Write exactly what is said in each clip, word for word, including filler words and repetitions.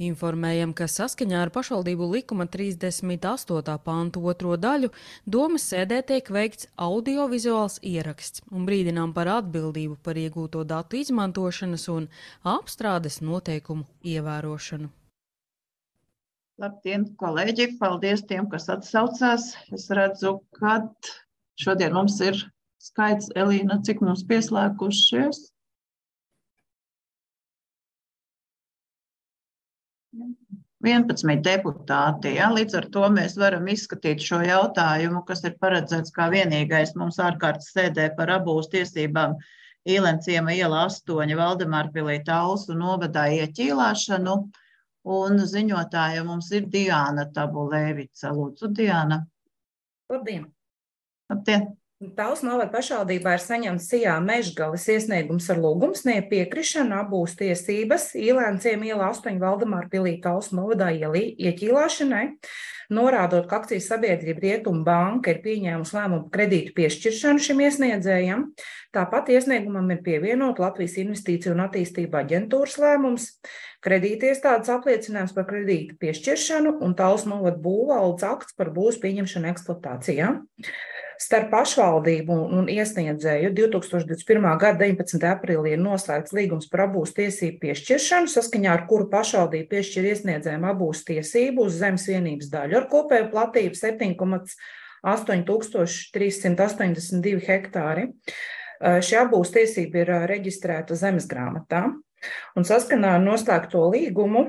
Informējam, ka saskaņā ar pašvaldību likuma trīsdesmit astotā pantu otro daļu domas sēdē tiek veikts audiovizuāls ieraksts un brīdinām par atbildību par iegūto datu izmantošanas un apstrādes noteikumu ievērošanu. Labdien, kolēģi! Paldies tiem, kas atsaucās. Es redzu, ka šodien mums ir skaits, Elīna, cik mums pieslēgušies? vienpadsmit deputāti. Ja? Līdz ar to mēs varam izskatīt šo jautājumu, kas ir paredzēts kā vienīgais mums ārkārtas sēdē par abūs tiesībām Īlenciema iela astoņi Valdemārpilī Talsu novadā ieķīlāšanu. Un ziņotāja mums ir Diāna Tabulēvica. Lūdzu, Diāna. Labdien! Labdien! Talsu novada pašvaldībā ir saņemts Sijā Mežgalis iesniegums ar lūgumu sniegt piekrišanu abūs tiesības Īlenciema iela astoņi Valdemārpilī Talsu novadā ieķīlāšanai, norādot, ka akcijas sabiedrība Rietumu banka ir pieņēmusi lēmumu kredītu piešķiršanu šim iesniedzējam. Tāpat iesniegumam ir pievienot Latvijas Investīciju un attīstību aģentūras lēmums, kredītiestādes apliecinājums par kredītu piešķiršanu un Talsu novada būvvaldes akts par būvs pieņemšanu eksploatācijā. Starp pašvaldību un iesniedzēju divtūkstoš divdesmit pirmā gada deviņpadsmitajā aprīlī ir noslēgts līgums par abūs tiesību piešķiršanu, saskaņā ar kuru pašvaldība piešķir iesniedzējiem abūs tiesību uz zemes vienības daļu ar kopēju platību septiņi komats astoņi tūkstoši trīs simti astoņdesmit divi hektāri. Šī abūs tiesība ir reģistrēta zemes grāmatā, un saskaņā ar noslēgto līgumu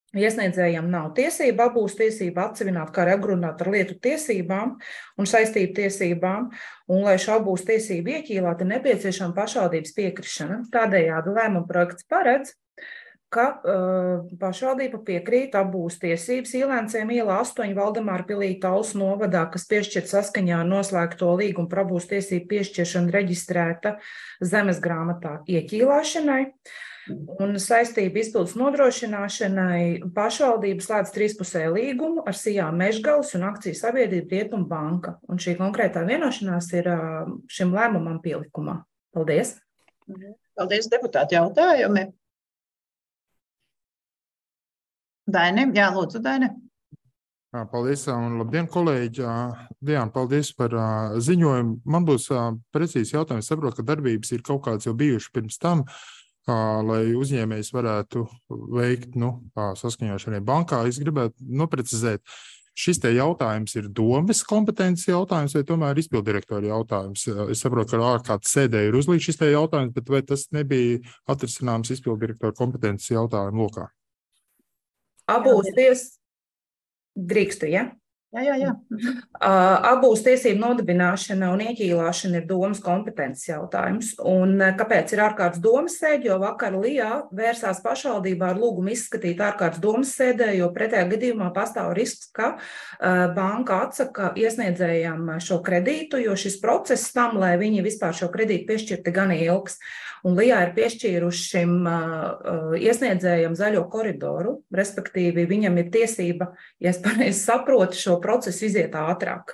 iesniedzējiem nav tiesība abūs tiesība atsevināt kā regulēt ar lietu tiesībām un saistību tiesībām, un lai šo abūs tiesību ieķīlāt, ir nepieciešama pašvaldības piekrišana. Tādējādi lēmuma projekts paredz, ka uh, pašvaldība piekrīt abūs tiesības Īlenciema iela astoņi Valdemārpilī Talsu novadā, kas piešķirt saskaņā ar noslēgto līgumu par abūs tiesību piešķiršanu reģistrēta zemes grāmatā ieķīlāšanai. Un saistību izpildes nodrošināšanai pašvaldības slēdz trīspusēju līgumu ar Sijā Mežgalis un akciju sabiedrību Rietumu banka. Un šī konkrētā vienošanās ir šim lēmumam pielikumā. Paldies! Paldies, deputāti, jautājumi. Daini, jā, lūdzu, Daini. Paldies un labdien, kolēģi. Diana, paldies par ziņojumu. Man būs precīzi jautājums. Saprotu, ka darbības ir kaut kāds jau bijuši pirms tam, lai uzņēmējs varētu veikt nu, saskaņošanai bankā. Es gribētu noprecizēt, šis te jautājums ir domes kompetences jautājums vai tomēr izpildirektora jautājums? Es saprotu, ka ārkārtas sēdē ir uzlīdz šis te jautājums, bet vai tas nebija atrisināms izpildirektora kompetences jautājumu lokā? Abūs ties drīkstu, ja? Jā, jā, jā. Abūs tiesību nodibināšana un ieķīlāšana ir domas kompetences jautājums. Un kāpēc ir ārkārtas domas sēde? Jo vakar Lijā vērsās pašvaldībā ar lūgumu izskatīt ārkārtas domas sēdē, jo pretējā gadījumā pastāv risks, ka banka atsaka iesniedzējām šo kredītu, jo šis process tam, lai viņi vispār šo kredītu piešķirti, gan ilgs. Un Lijā ir piešķīruši šim uh, iesniedzējam zaļo koridoru, respektīvi viņam ir tiesība, ja es pareizi saprotu, šo procesu iziet ātrāk.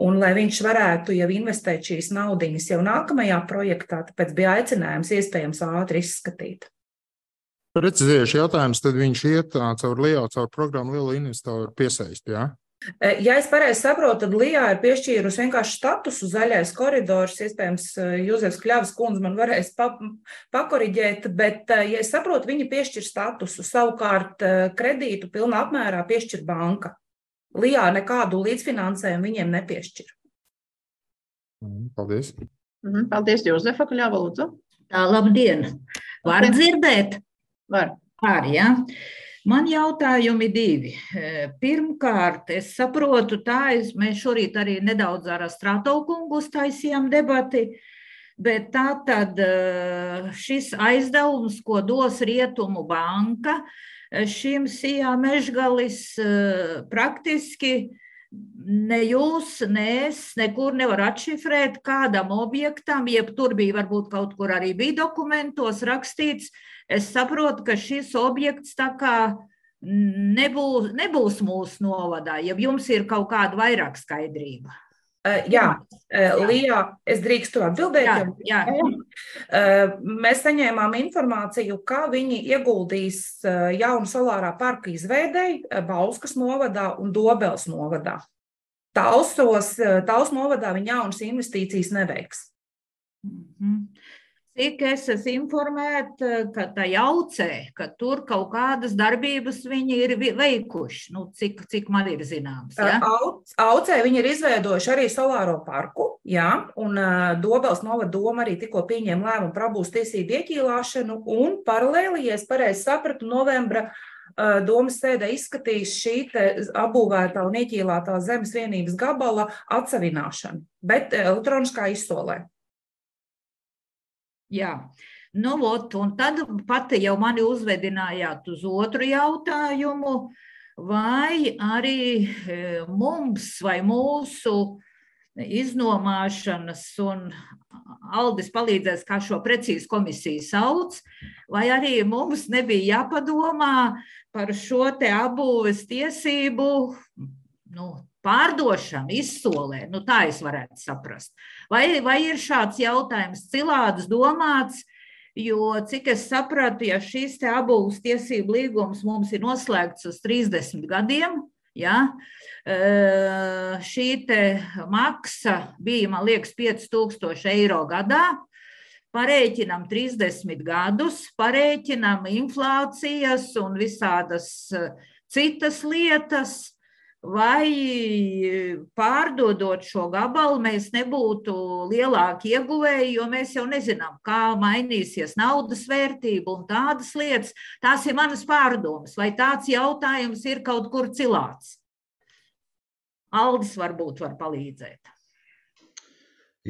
Un lai viņš varētu jau investēt šīs naudiņas jau nākamajā projektā, tāpēc bija aicinājums iespējams ātri izskatīt. Precizējuši jautājums, tad viņš iet caur Lijā, caur programmu Liela investoru piesaist, jā? Ja es pareizi saprotu, tad Lijā ir piešķīrusi vienkārši statusu zaļais koridors, iespējams, Jūzefs Kļavas kundze man varēs pa, pakoriģēt, bet, ja es saprotu, viņi piešķir statusu, savukārt kredītu pilnā apmērā piešķir banka. Lijā nekādu līdzfinansējumu viņiem nepiešķir. Paldies. Paldies, Jūzefa Kļava, lūdzu. Tā, labdien. Var dzirdēt? Var. Var, jā. Man jautājumi divi. Pirmkārt, es saprotu tā, es, mēs šorīt arī nedaudz ar Stratovu kungu uztaisījām debati, bet tā tad šis aizdevums, ko dos Rietumu banka, šim Sijā Mežgalis praktiski ne jūs, ne es nekur nevar atšifrēt kādam objektam, jeb tur bija varbūt kaut kur arī bija dokumentos rakstīts. Es saprotu, ka šis objekts tā kā nebūs, nebūs mūsu novadā, ja jums ir kaut kāda vairāk skaidrība. Uh, jā, uh, Lija, es drīkstu atbildēt. Jā, jau? jā. Uh, mēs saņēmām informāciju, ka viņi ieguldīs uh, jaunu solārā parka izveidei uh, Bauskas novadā un Dobels novadā. Talsos, uh, Tals novadā viņi jaunas investīcijas neveiks. Mm-hmm. Cik es esmu informēta, ka tā jaucē, ka tur kaut kādas darbības viņi ir veikuši, nu, cik, cik man ir zināms. Ja? Aucē viņi ir izveidojuši arī solāro parku, jā, un uh, Dobels novada doma arī tikko pieņēma lēmumu par abūs tiesību ieķīlāšanu, un paralēli, ja es pareizi sapratu, novembra uh, domas sēdē izskatīs šī te apbūvētā un ieķīlātā zemes vienības gabala atsavināšanu, bet elektroniskā izsolē. Jā, nu, ot, un tad pati jau mani uzvedinājāt uz otru jautājumu, vai arī mums vai mūsu iznomāšanas, un Aldis palīdzēs, kā šo precīzi komisiju sauc, vai arī mums nebija jāpadomā par šo te apbūves tiesību, nu, pārdošana, izsolē, nu tā es varētu saprast. Vai, vai ir šāds jautājums cilādus domāts, jo, cik es sapratu, ja šīs te apbūves tiesību līgums mums ir noslēgts uz trīsdesmit gadiem, ja, šī te maksa bija, man liekas, pieci tūkstoši eiro gadā, parēķinam trīsdesmit gadus, parēķinam inflācijas un visādas citas lietas, vai pārdodot šo gabalu mēs nebūtu lielāki ieguvēji, jo mēs jau nezinām, kā mainīsies naudas vērtība un tādas lietas. Tās ir manas pārdomas, vai tāds jautājums ir kaut kur cilāts. Aldis varbūt var palīdzēt.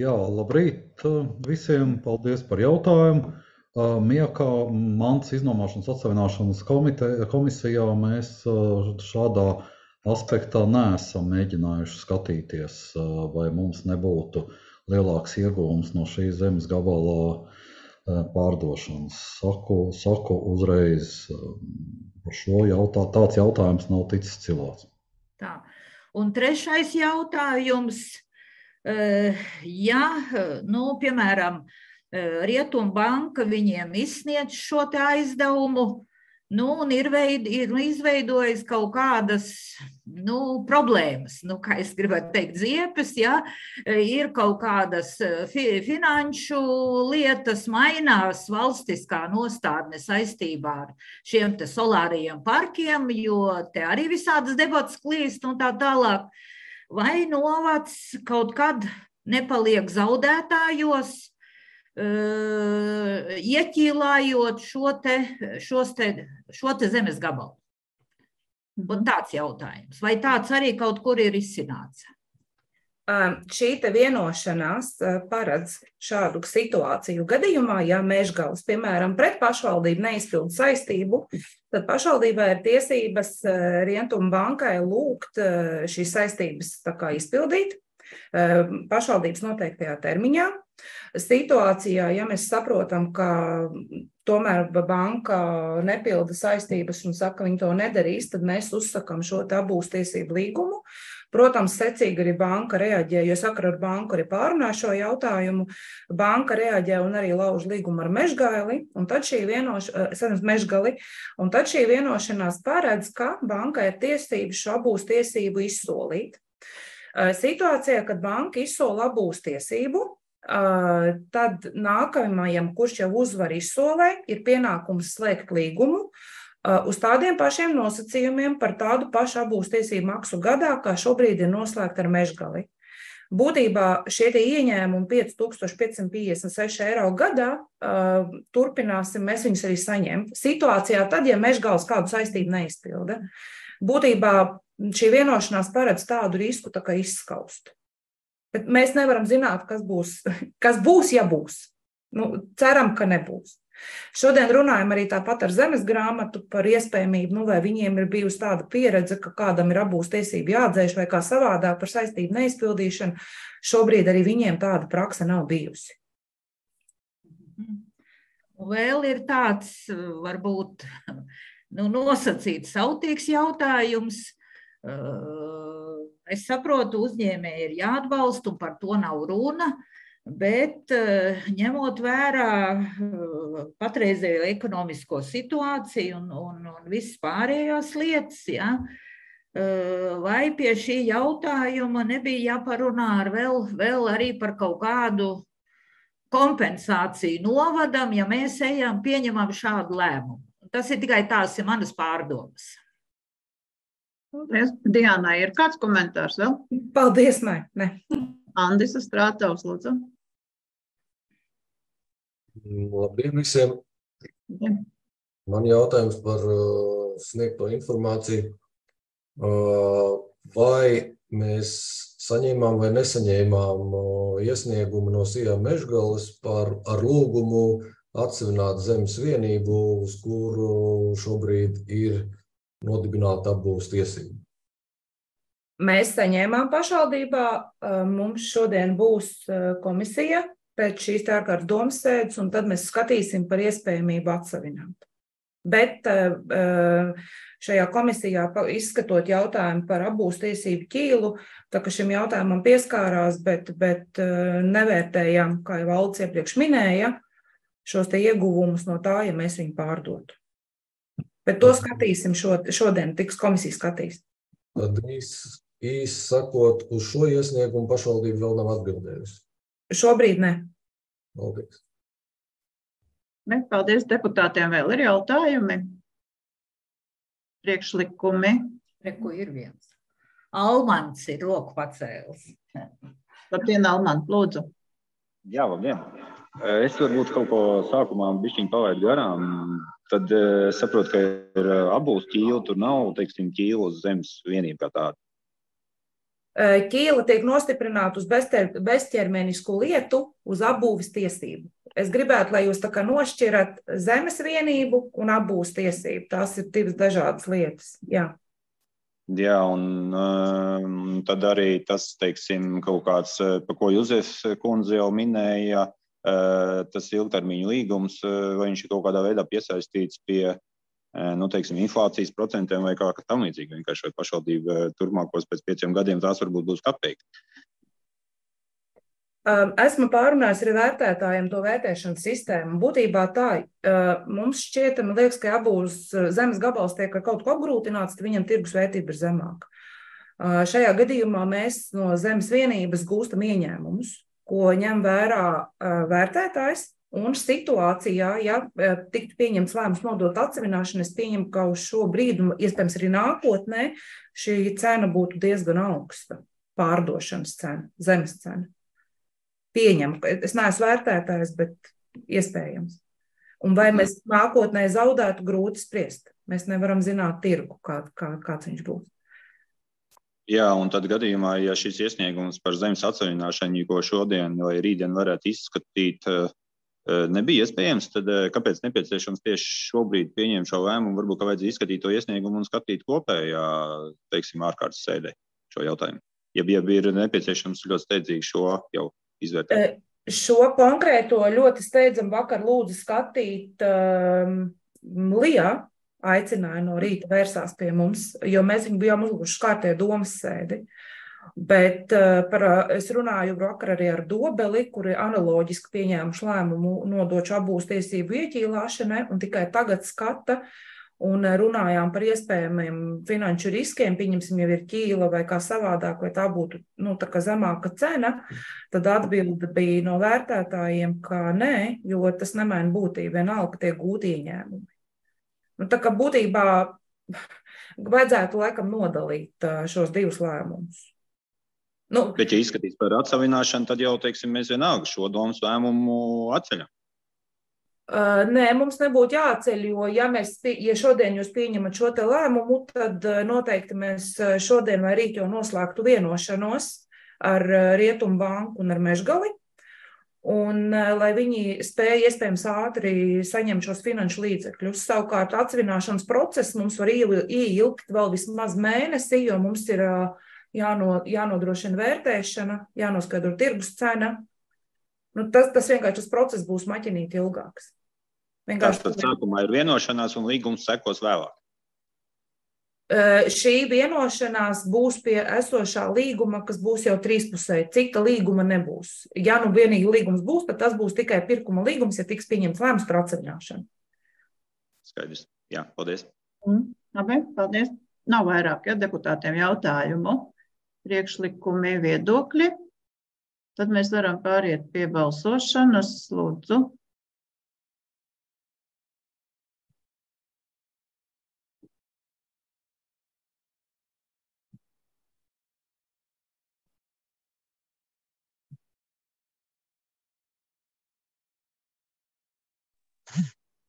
Jā, labrīt visiem, paldies par jautājumu. Miekā mantas iznomāšanas atsavināšanas komisijā mēs šādā aspektā neesam mēģinājuši skatīties, vai mums nebūtu lielāks ieguvums no šī zemes gabala pārdošanas. Saku, saku uzreiz par šo jautā, tāds jautājums nav ticis cilāts. Tā. Un trešais jautājums, ja, nu, piemēram, Rietumbanka viņiem izsniedz šo te aizdevumu, nu, un ir, veid, ir izveidojis kaut kādas, nu, problēmas, nu, kā es gribētu teikt, ziepes, ja, ir kaut kādas fi, finanšu lietas, mainās valstiskā nostādne saistībā ar šiem te solārajiem parkiem, jo te arī visādas debatas klīst un tā tālāk. Vai novads kaut kad nepaliek zaudētājos, Uh, ieķīlājot šo te, šos te, šo te zemes gabalu? Un tāds jautājums. Vai tāds arī kaut kur ir izcināts? Uh, šī te vienošanās uh, paredz šādu situāciju gadījumā, ja Mežgalis, piemēram, pret pašvaldību neizpilda saistību, tad pašvaldībai ir tiesības uh, Rietumbankai lūgt uh, šīs saistības tā kā izpildīt uh, pašvaldības noteiktajā termiņā. Situācijā, ja mēs saprotam, ka tomēr banka nepilda saistības un saka, ka viņi to nedarīs, tad mēs uzsakam šo abūs tiesību līgumu. Protams, secīgi arī banka reaģē, jo sakara ar banku arī pārunā šo jautājumu. Banka reaģē un arī lauž līgumu ar Mežgali, un tad šī vienošanās, Mežgali, un tad šī vienošanās paredz, ka bankai ir tiesības šo abūs tiesību izsolīt. Situācijā, kad banka izsola abūs tiesību, tad nākamajam, kurš jau uzvar izsolē, ir pienākums slēgt līgumu uz tādiem pašiem nosacījumiem par tādu pašu abūs tiesību maksu gadā, kā šobrīd ir noslēgta ar Mežgali. Būtībā šie ieņēmumi pieci tūkstoši piecsimt piecdesmit seši eiro gadā, turpināsim, mēs viņus arī saņemt. Situācijā tad, ja Mežgalis kādu saistību neizpilda, būtībā šī vienošanās paredz tādu risku tā kā izskaust. Bet mēs nevaram zināt, kas būs, kas būs, ja būs. Nu, ceram, ka nebūs. Šodien runājam arī tāpat ar zemes grāmatu par iespējamību, nu, vai viņiem ir bijusi tāda pieredze, ka kādam ir abūs tiesību jāatdzēš vai kā savādāk par saistību neizpildīšanu. Šobrīd arī viņiem tāda prakse nav bijusi. Vēl ir tāds, varbūt, nu, nosacīts sautīgs jautājums. Es saprotu, uzņēmēji ir jāatbalsta, un par to nav runa, bet ņemot vērā patreizējo ekonomisko situāciju un, un, un visas pārējās lietas, ja, vai pie šī jautājuma nebija jāparunā ar vēl, vēl arī par kaut kādu kompensāciju novadam, ja mēs ejam, pieņemam šādu lēmumu. Tas ir tikai tās ir manas pārdomas. Paldies. Diānai, ir kāds komentārs vēl? Paldies, nē. ne. Andis Strātaus, lūdzu. Labdien visiem. Ja. Man jautājums par uh, sniegto informāciju. Uh, vai mēs saņēmām vai nesaņēmām uh, iesniegumu no Sijā Mežgales par ar lūgumu atsevināt zemes vienību, uz kuru šobrīd ir nodibināta apbūves tiesība? Mēs saņēmām pašvaldībā, mums šodien būs komisija pēc šīs ārkārtas domas sēdes, un tad mēs skatīsim par iespējamību atsavināt. Bet šajā komisijā izskatot jautājumu par apbūves tiesību ķīlu, tā ka šim jautājumam pieskārās, bet, bet nevērtējām, kā jau Valds iepriekš minēja, šos te ieguvumus no tā, ja mēs viņu pārdotu. Bet to skatīsim šod, šodien, tiks komisija skatīs. Tad īsi īs sakot, uz šo iesniegumu pašvaldība vēl nav atbildējusi? Šobrīd ne. Paldies. Ne, paldies deputātiem. Vēl ir jautājumi? Priekšlikumi? Reku ir viens. Almans ir roku pacēlis. Labdien, Alman, lūdzu. Jā, labdien. Es varbūt kaut ko sākumā bišķiņ palaidu garām. Tad es saprotu, ka ir apbūves ķīla, tur nav, teiksim, ķīla uz zemes vienību kā tāda. Ķīla tiek nostiprināta uz bezķermenisku lietu, uz apbūves tiesību. Es gribētu, lai jūs tā kā nošķirat zemes vienību un apbūves tiesību. Tās ir divas dažādas lietas. Jā. Jā, un um, tad arī tas, teiksim, kaut kāds, pa ko Juzefs kundze jau minēja, uh, tas ilgtermiņu līgums, uh, vai viņš ir kaut kādā veidā piesaistīts pie, uh, nu, teiksim, inflācijas procentiem vai kā tam līdzīgi. Vienkārši vai pašvaldība turpmākos pēc pieciem gadiem tās varbūt būs kapeika. Esmu pārunājis arī vērtētājiem to vērtēšanas sistēmu. Būtībā tā, mums šķiet, man liekas, ka apbūves zemes gabals tiek ar kaut ko apgrūtināts, tad viņam tirgus vērtība ir zemāka. Šajā gadījumā mēs no zemes vienības gūstam ieņēmumus, ko ņem vērā vērtētājs, un situācijā, ja tiktu pieņemts lēmums nodot atsevināšanu, es pieņemu, ka uz šo brīdi, iespējams arī nākotnē, šī cena būtu diezgan augsta, pārdošanas cena, zemes cena. Pieņem. Es neesmu vērtētājs, bet iespējams. Un vai mēs nākotnē zaudētu, grūti spriest. Mēs nevaram zināt tirgu, kā, kā, kāds viņš būs. Jā, un tad gadījumā, ja šis iesniegums par zemes atsavināšanu, ko šodien vai rītdien varētu izskatīt, nebija iespējams, tad kāpēc nepieciešams tieši šobrīd pieņemt šo lēmumu, varbūt, ka vajadzētu izskatīt to iesniegumu un skatīt kopējā, teiksim, ārkārtas sēdē šo jautājumu? Ja, ja ir nepieciešams ļoti steidzīgi šo jau izvērtēt. Šo konkrēto ļoti steidzam vakar lūdzu skatīt um, Lijā, aicināja no rīta vērsās pie mums, jo mēs viņu bijām uzlūguši kārtē domas sēdi. Bet uh, par, es runāju vakar arī ar Dobeli, kuri analoģiski pieņēmuši lēmumu nodošu apbūves tiesību ieķīlāšanai un tikai tagad skata un runājām par iespējamiem finanšu riskiem, pieņemsim jau ir ķīla vai kā savādāk, vai tā būtu nu, tā kā zemāka cena, tad atbilde bija no vērtētājiem, ka nē, jo tas nemaina būtību, vienalga tiek gūti ieņēmumi. Nu, tā kā būtībā vajadzētu laikam nodalīt šos divus lēmumus. Nu, Bet, ja izskatīs par atsavināšanu, tad jau, teiksim, mēs vienalga šo domas lēmumu atceļam. Uh, nē, mums nebūtu jāceļ, jo ja, mēs, ja šodien jūs pieņemat šo te lēmumu, tad noteikti mēs šodien vai rīt jau noslēgtu vienošanos ar Rietumu banku un ar Mežgali, un lai viņi spēja iespējams ātri saņemt šos finanšu līdzekļus. Savukārt atsvināšanas process mums var ieilgt vēl vismaz mēnesi, jo mums ir jāno, jānodrošina vērtēšana, jānoskaidro tirgus cena. Nu, tas, tas vienkārši tas process būs maķinīt ilgāks. Vienkārši... Tātad sākumā ir vienošanās un līgums sekos vēlāk. šī vienošanās būs pie esošā līguma, kas būs jau trīspusēji. Cita līguma nebūs. Ja nu vienīgi līgums būs, tad tas būs tikai pirkuma līgums, ja tiks pieņemts lēmums par atseviļņošanu. Skaidrs. Jā, paldies. Mm, labi, paldies. Nav vairāk, ja deputātiem jautājumu, priekšlikumi, viedokļi. Tad mēs varam pāriet pie balsošanas. Lūdzu.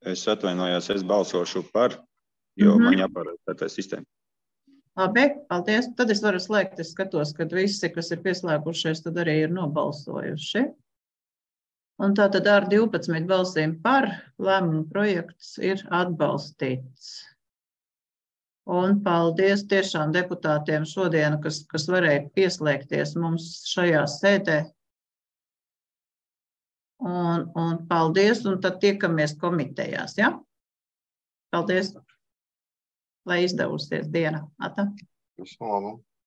Es atvainojos, es balsošu par, jo Mhm. man jāpārēj tā sistēma. Labi, paldies. Tad es varu slēgt. Es skatos, ka visi, kas ir pieslēgušies, tad arī ir nobalsojuši. Un tātad ar divpadsmit balsīm par lēmumu projekts ir atbalstīts. Un paldies tiešām deputātiem šodien, kas, kas varēja pieslēgties mums šajā sēdē. Un, un paldies, un tad tiekamies komitejās, ja? Paldies, lai izdevusies diena. Ata. Visu labu.